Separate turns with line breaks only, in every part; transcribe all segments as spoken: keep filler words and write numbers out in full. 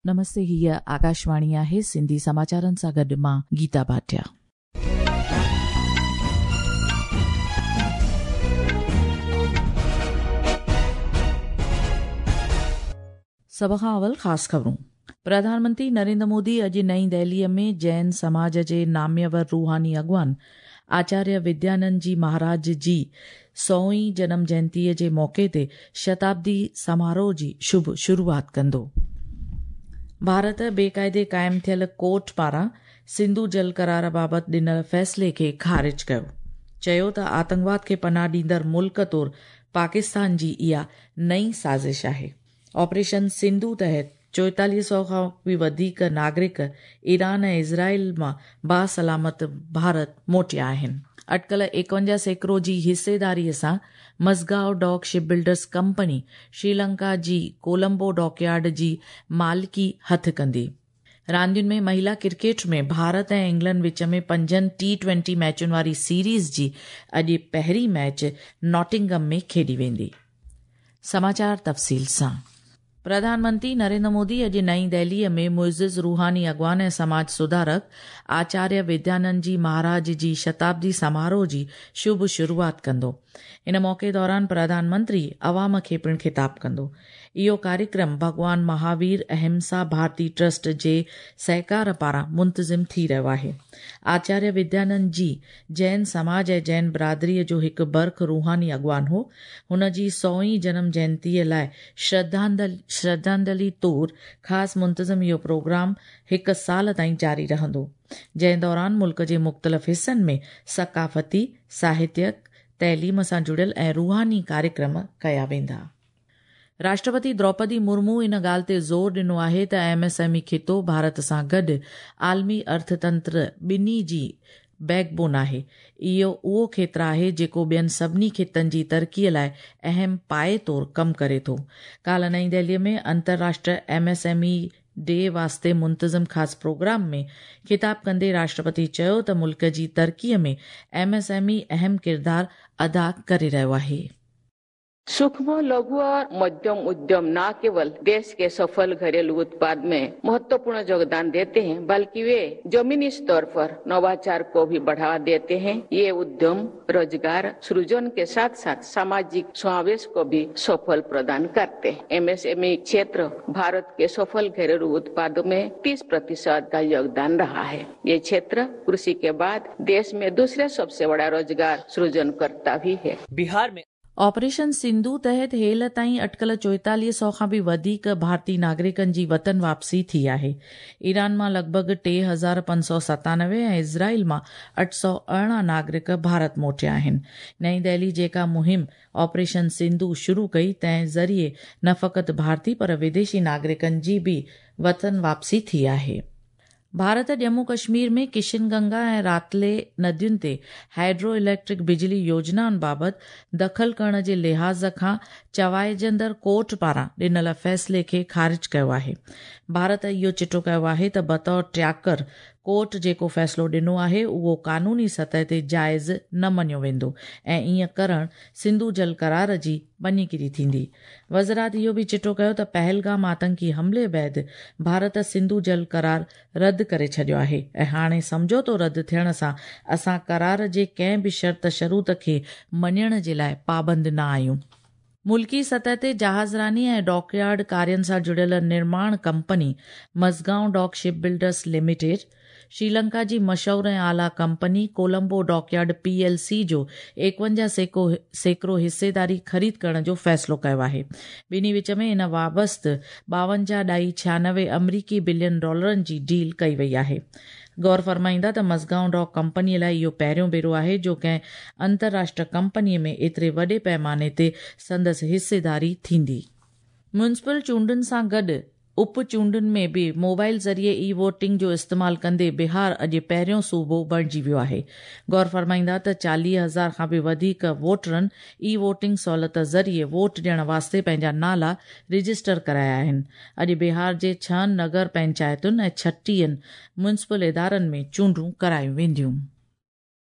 नमस्ते, हीअ आकाशवाणी आहे। सिंधी समाचारनि सां गॾु मां गीता भाटिया। सभ खां अवल ख़ासि ख़बरूं। प्रधानमंत्री नरेंद्र मोदी अॼु नई दिल्लीअ में जैन समाज जे नाम्यवर रूहानी अॻवान आचार्य विद्यानंद जी महाराज जी सौवीं जनम जयंतीअ जे मौक़े ते शताब्दी समारोह जी शुभ शुरूआत कंदो। भारत बेक़ाइदे क़ाइमु थियल कोर्ट पारां सिंधु जल करार बाबति ॾिनल फ़ैसिले खे ख़ारिज कयो। चयो त आतंकवाद खे पनाह ॾींदड़ मुल्क तौर पाकिस्तान जी इहा नई साज़िश आहे। ऑपरेशन सिंधु तहत चोएतालीह सौ खां बि वधीक नागरिक ईरान ऐं इज़राइल मां बासलामत भारत मोटिया आहिनि। अटकल एकवंजाह सैकड़ो जी हिस्सेदारीअ सां Mazagon dock ship builders company Sri Lanka जी कोलंबो डॉकयार्ड जी मालिकी हथु कंदी। रांदियुनि में महिला क्रिकेट में भारत ऐं इंग्लैंड विच में पंजनि टी ट्वेंटी मैचुनि वारी सीरीज़ जी अॼु पहिरीं मैच नॉटिंगम में खेॾी वेंदी। समाचार तफ़सील सां। प्रधानमंत्री नरेंद्र मोदी अॼु नई दिल्लीअ में मुइज़िज़ रूहानी अॻवान ऐं समाज सुधारक आचार्य विद्यानंद जी महाराज जी शताब्दी समारोह जी शुभ शुरूआत कंदो। इन मौक़े दौरान प्रधानमंत्री अवाम खे पिणु ख़िताब कंदो। इहो कार्यक्रम भॻवान महावीर अहिंसा भारती ट्रस्ट जे सहकार पारां मुंतज़िम थी रहियो आहे। आचार्य विद्यानंद जी जैन समाज ऐं जैन बिरादरीअ जो हिकु बर्ख रूहानी अॻवान हो। हुन जी सौवीं जनम जयंतीअ लाइ श्रद्धांजलि श्रद्धांजलि तौर ख़ासि मुंतज़िम इहो प्रोग्राम हिकु साल ताईं जारी रहंदो, जंहिं दौरान मुल्क जे मुख़्तलिफ़ हिसनि में सकाफ़ती, साहित्यिक, तइलीम सां जुड़ियल ऐं रूहानी कार्यक्रम कया वेंदा। राष्ट्रपति द्रौपदी मुर्मू इन ॻाल्हि ते ज़ोर ॾिनो आहे त एम एस एम ई खितो भारत सां गॾु आलमी अर्थतंत्र ॿिन्ही जी बैकबोन आहे। इहो उहो खेत्र आहे जेको ॿियनि सभिनी खितनि जी तरक़ीअ लाइ अहम पाए तौर कमु करे थो। काल्ह नई दिल्लीअ में अंतर्राष्ट्रीय M S M E day वास्ते मुंतज़िम ख़ासि प्रोग्राम में ख़िताब कंदे राष्ट्रपति चयो त मुल्क जी तरक़ीअ में एम एस एम ई अहम किरदारु अदा करे रहियो आहे।
सूक्ष्म, लघु और मध्यम उद्यम न केवल देश के सफल घरेलू उत्पाद में महत्वपूर्ण योगदान देते हैं, बल्कि वे जमीनी स्तर पर नवाचार को भी बढ़ावा देते हैं। ये उद्यम रोजगार सृजन के साथ साथ सामाजिक समावेश को भी सफल प्रदान करते हैं। एम एस एम ई क्षेत्र भारत के सफल घरेलू उत्पादों में तीस प्रतिशत का योगदान रहा है। ये क्षेत्र कृषि के बाद देश में दूसरे सबसे बड़ा रोजगार सृजनकर्ता भी है।
बिहार में
ऑपरेशन सिंधु तहत हेल ताईं अटकल चोएतालीह सौ खां बि वधीक भारतीय नागरिकनि जी वतन वापसी थी आहे। ईरान मां लॻभॻि टे हज़ार पंज सौ सतानवे ऐं इज़राइल मां अठ सौ अरिड़हं नागरिक भारत मोटिया आहिनि। नई दिल्ली जेका मुहिम ऑपरेशन सिंधु शुरू कई, तंहिं ज़रिए न फ़क़ति भारतीय पर विदेशी नागरिकनि जी बि वतन वापसी थी आहे। भारत जम्मू कश्मीर में किशनगंगा ऐं रातले नदियुनि ते हाइड्रो इलेक्ट्रिक बिजली योजनाउनि बाबति दख़ल करण जे लिहाज़ खां चवाइजंदड़ कोर्ट पारां ॾिनल फ़ैसिले खे ख़ारिज कयो आहे। भारत इहो चिटो कयो आहे त बतौर ट्याकर कोर्ट जेको फ़ैसिलो ॾिनो आहे उहो कानूनी सतह ते जाइज़ न मञियो वेंदो ऐं ईअं करणु सिंधु जल करार जी मञीगिरी थींदी। वज़ारत इहो बि चिटो कयो त पहलगाम आतंकी हमले बाद भारत सिंधु जल करार रद्द करे छॾियो आहे ऐं हाणे सम्झौतो रद्द थियण सां असां करार जे कंहिं बि शर्त शरूत खे मञण जे लाइ पाबंद न आहियूं। मुल्की सतह ते जहाज़रानी ऐं डॉकयार्ड कार्यनि सां जुड़ियल निर्माण company Mazagon dock ship builders limited Sri Lanka जी मशहूर ऐं आला company Colombo dockyard P L C जो एकवंजाह सैकड़ो हिस्सेदारी ख़रीद करण जो फ़ैसिलो कयो आहे। ॿिन्ही विच में इन वाबस्त ॿावंजाह ॾाई छियानवे अमरीकी बिलियन डॉलरनि जी डील कई वई आहे। गौर फरमाईंदा त मज़गांव डॉक कंपनीअ लाइ इहो पहिरियों भेरो आहे जो कंहिं अंतर्राष्ट्रीय कंपनीअ में एतिरे वॾे पैमाने ते संदसि हिस्सेदारी थींदी। म्युनिसिपल चूंडुनि सां गॾु उप चूंडुनि में बि मोबाइल ज़रिए ई वोटिंग जो इस्तेमालु कंदे बिहार अॼु पहिरियों सूबो बणिजी वियो आहे। गौर फरमाईंदा त चालीह हज़ार खां बि वधीक वोटरनि ई वोटिंग सहूलियत ज़रिए वोट ॾियण वास्ते पंहिंजा नाला रजिस्टर कराया आहिनि। अॼु बिहार जे छहनि नगर पंचायतुनि ऐं छटीहनि म्युनिसिपल इदारनि में चूंडूं करायूं वेंदियूं।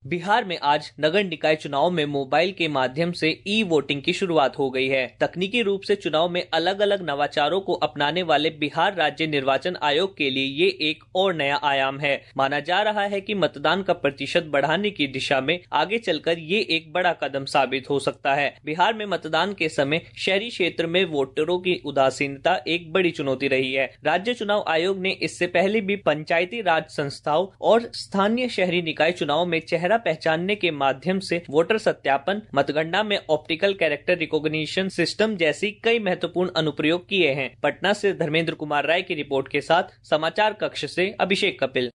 बिहार में आज नगर निकाय चुनाव में मोबाइल के माध्यम से ई वोटिंग की शुरुआत हो गई है। तकनीकी रूप से चुनाव में अलग अलग नवाचारों को अपनाने वाले बिहार राज्य निर्वाचन आयोग के लिए ये एक और नया आयाम है। माना जा रहा है कि मतदान का प्रतिशत बढ़ाने की दिशा में आगे चलकर ये एक बड़ा कदम साबित हो सकता है। बिहार में मतदान के समय शहरी क्षेत्र में वोटरों की उदासीनता एक बड़ी चुनौती रही है। राज्य चुनाव आयोग ने इससे पहले भी पंचायती राज संस्थाओं और स्थानीय शहरी निकाय चुनाव में चेहरा पहचानने के माध्यम से वोटर सत्यापन, मतगणना में ऑप्टिकल कैरेक्टर रिकॉग्निशन सिस्टम जैसी कई महत्वपूर्ण अनुप्रयोग किए हैं। पटना से धर्मेंद्र कुमार राय की रिपोर्ट के साथ समाचार कक्ष से अभिषेक कपिल।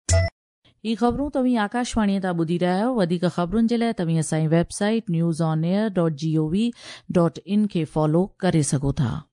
ही ख़बरूं तव्हीं आकाशवाणीअ तां ॿुधी रहिया आहियो। वधीक ख़बरुनि जे लाइ तव्हीं असांजी website news on air dot G O V dot in खे फॉलो करे सघो था।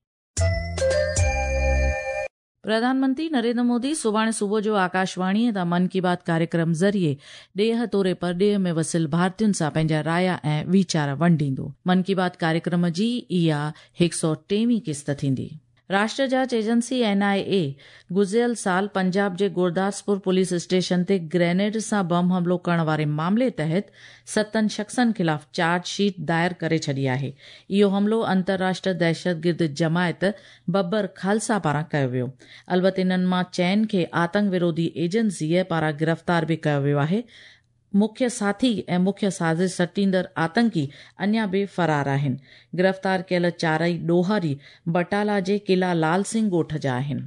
प्रधानमंत्री नरेंद्र मोदी सुभाणे सुबुह जो आकाशवाणीअ तां मन की बात कार्यक्रम ज़रिए ॾेह तोड़े परॾेह में वसियल भारतीयुनि सां पंहिंजा राया ऐं वीचार वंडींदो। मन की बात कार्यक्रम जी इहा हिकु सौ टेवीं क़िस्त थींदी। राष्ट्र जांच एजेंसी एन I ए गुज़िरियल साल पंजाब जे गुरदासपुर पुलिस स्टेशन ते ग्रेनेड सां बम हमलो करण वारे मामले तहत सतनि शख़्सनि ख़िलाफ़ चार्जशीट दायर करे छॾी आहे। इहो हमलो अंतर्राष्ट्रीय दहशतगिर्द जमायत बब्बर खालसा पारां कयो वियो। अलबत इन्हनि मां चइनि खे आतंक विरोधी एजेंसीअ पारां गिरफ़्तार बि कयो वियो आहे। मुख्य साथी ऐं मुख्य साज़िश सटींदड़ आतंकी अञा बि फरार आहिनि। गिरफ़्तार कयल चारई ॾोहारी बटाला जे किला लाल सिंह ॻोठ जा आहिनि।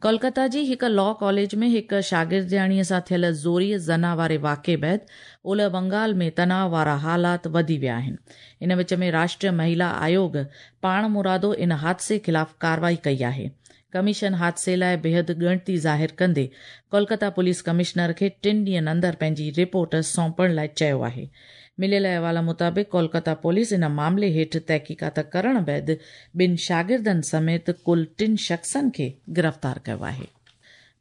कोलकाता जी हिकु लॉ कॉलेज में हिकु शागिर्दियाणीअ सां थियल ज़ोरीअ ज़ना वारे वाक़े बाद ओलह बंगाल में तनाव वारा हालात वधी विया आहिनि। इन विच में राष्ट्रीय महिला आयोग पाणमुरादो इन हादसे ख़िलाफ़ कार्रवाई कई आहे। कमीशन हादसे लाइ बेहद ॻणती ज़ाहिर कंदे कोलकाता पुलिस कमिश्नर खे टिनि ॾींहनि अंदरि पंहिंजी रिपोर्ट सौंपण लाइ चयो आहे। मिलियल अहवाल मुताबिक़ कोलकाता पुलिस इन मामले हेठि तहक़ीक़ात करण बाद ॿिनि शागिर्दनि समेत कुल टिनि शख़्सनि खे गिरफ़्तार कयो आहे।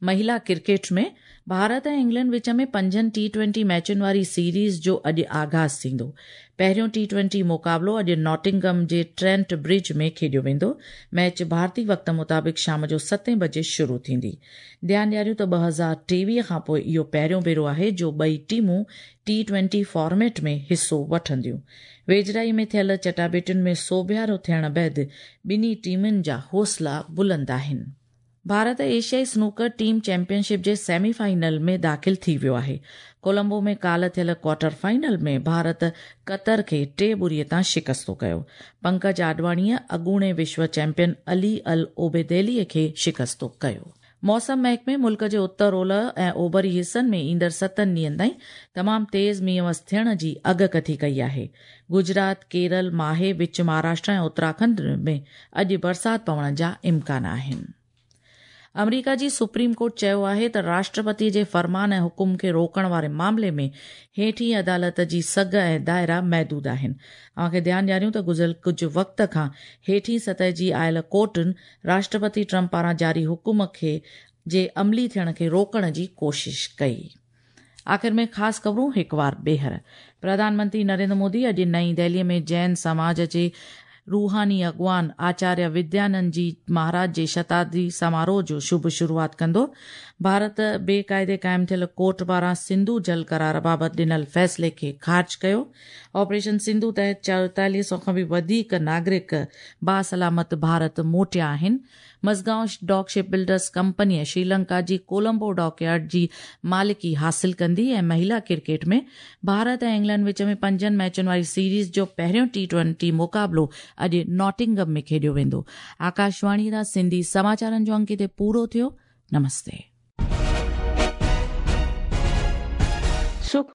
महिला क्रिकेट में भारत ऐं इंग्लैंड विच में पंजनि टी ट्वेंटी मैचुनि वारी सीरीज़ जो अॼु आगाज़ थींदो। पहिरियों टी ट्वेंटी मुक़ाबिलो अॼु नॉटिंगम जे ट्रेंट ब्रिज में खेॾियो वेंदो। मैच भारतीय वक़्त मुताबिक़ शाम जो सतें बजे शुरू थींदी। ध्यानु ॾियारियूं त ॿ हज़ार टेवीह खां पोइ इहो पहिरियों भेरो आहे जो ॿई टीमूं टी ट्वेंटी फॉर्मेट में हिसो वठंदियूं। वेझड़ाई में थियल चटाबेटियुनि में सोभियारो थियण बाद ॿिन्ही टीमुनि जा हौसला बुलंद आहिनि। भारत एशियाई स्नूकर टीम चैंपियनशिप जे सेमीफाइनल में दाख़िल थी वियो आहे। कोलंबो में काल्ह थियल क्वार्टर फाइनल में भारत क़तर खे टे ॿुरीअ तां शिकस्तो कयो। पंकज आडवाणीअ अॻूणे विश्व चैंपियन अली अल ओबेदेलीअ खे शिकस्तो कयो। मौसम महकमे मुल्क जे उत्तर ओलह ऐं ओभरी हिसनि में ईंदड़ सतनि ॾींहनि ताईं तमामु तेज़ मींहुं वस थियण जी अॻकथी कई आहे। गुजरात, केरल, माहे, विच महाराष्ट्र ऐं उत्तराखंड में अॼु बरसाति पवण जा इम्कान आहिनि। अमरीका जी सुप्रीम कोर्ट चयो आहे त राष्ट्रपति जे फरमान ऐं हुकुम खे रोकण वारे मामले में हेठी अदालत जी सघ ऐं दायरा महदूद आहिनि। अव्हांखे ध्यानु ॾियारियूं त गुज़िरियल कुझु वक़्त खां हेठी सतह जी आयल कोर्टुनि राष्ट्रपति ट्रंप पारां जारी हुकुम खे जे अमली थियण खे रोकण जी कोशिश कई। आख़िर में ख़ासि ख़बरूं हिकु वार ॿीहर। प्रधानमंत्री नरेंद्र मोदी अॼु नई दिल्लीअ में जैन समाज जे रूहानी अॻवान आचार्य विद्यानंद जी महाराज जे शताब्दी समारोह जो शुभ शुरुआत कंदो। भारत बेक़ाइदे क़ाइमु थियल कोर्ट पारां सिंधु जल करार बाबति ॾिनल फ़ैसिले खे ख़ारिज कयो। ऑपरेशन सिंधु तहत चौतालीह सौ खां बि वधीक नागरिक बासलामत भारत मोटिया आहिनि। मज़गांव डॉक शिप बिल्डर्स कंपनीअ श्रीलंका जी कोलंबो डॉकयार्ड जी मालिकी हासिल कंदी। ऐं महिला क्रिकेट में भारत ऐं इंग्लैंड विच में पंजनि मैचुनि वारी सीरीज़ जो पहिरियों टी ट्वेंटी मुक़ाबिलो अॼु नॉटिंगम में खेॾियो वेंदो। आकाशवाणी तां सिंधी समाचारनि जो अंक हिते पूरो थियो। नमस्ते।